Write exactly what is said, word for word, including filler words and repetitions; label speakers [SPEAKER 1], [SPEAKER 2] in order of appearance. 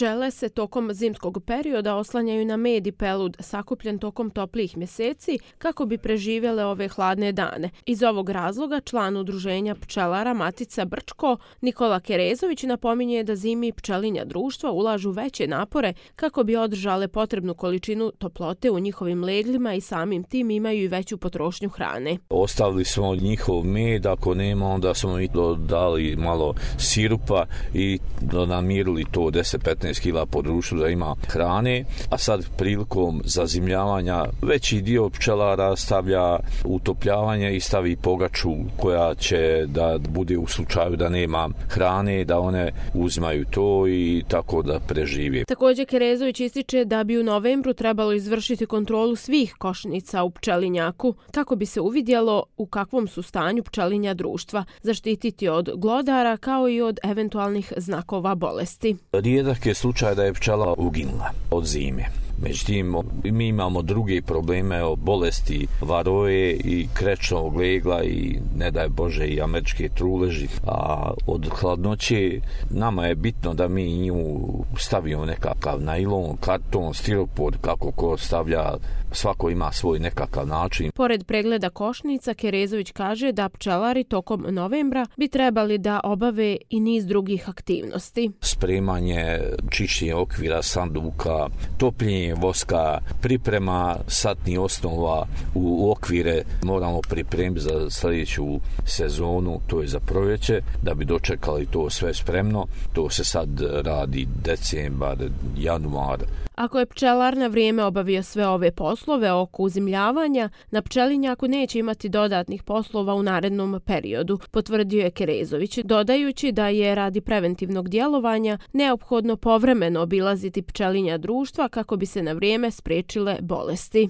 [SPEAKER 1] Pčele se tokom zimskog perioda oslanjaju na med i pelud sakupljen tokom toplijih mjeseci kako bi preživjele ove hladne dane. Iz ovog razloga član udruženja pčelara Matica Brčko Nikola Kerezović napominje da zimi pčelinja društva ulažu veće napore kako bi održale potrebnu količinu toplote u njihovim leglima i samim tim imaju i veću potrošnju hrane.
[SPEAKER 2] Ostavili smo njihov med, ako nema onda smo i dali malo sirupa i namirili to deset do petnaest kila po društvu da ima hrane, a sad prilikom zazimljavanja veći dio pčelara stavlja utopljavanje i stavi pogaču koja će da bude u slučaju da nema hrane, da one uzimaju to i tako da prežive.
[SPEAKER 1] Također Kerezović ističe da bi u novembru trebalo izvršiti kontrolu svih košnica u pčelinjaku kako bi se uvidjelo u kakvom su stanju pčelinja društva, zaštititi od glodara kao i od eventualnih znakova bolesti.
[SPEAKER 2] Rijedak je slučaj da je pčela uginula od zime. Međutim, mi imamo druge probleme o bolesti varoje i krečnog legla i ne daj Bože i američke truleži. A od hladnoće nama je bitno da mi nju stavimo nekakav nailon, karton, stiropor, kako ko stavlja, svako ima svoj nekakav način.
[SPEAKER 1] Pored pregleda košnica, Kerezović kaže da pčelari tokom novembra bi trebali da obave i niz drugih aktivnosti.
[SPEAKER 2] Spremanje, čišćenje okvira, sanduka, topljenje voska, priprema satnih osnova u okvire moramo pripremiti za sljedeću sezonu, to je za proljeće, da bi dočekali to sve spremno. To se sad radi decembar, januar.
[SPEAKER 1] Ako je pčelar na vrijeme obavio sve ove poslove oko uzimljavanja, na pčelinjaku neće imati dodatnih poslova u narednom periodu, potvrdio je Kerezović, dodajući da je radi preventivnog djelovanja neophodno povremeno obilaziti pčelinja društva kako bi se na vrijeme spriječile bolesti.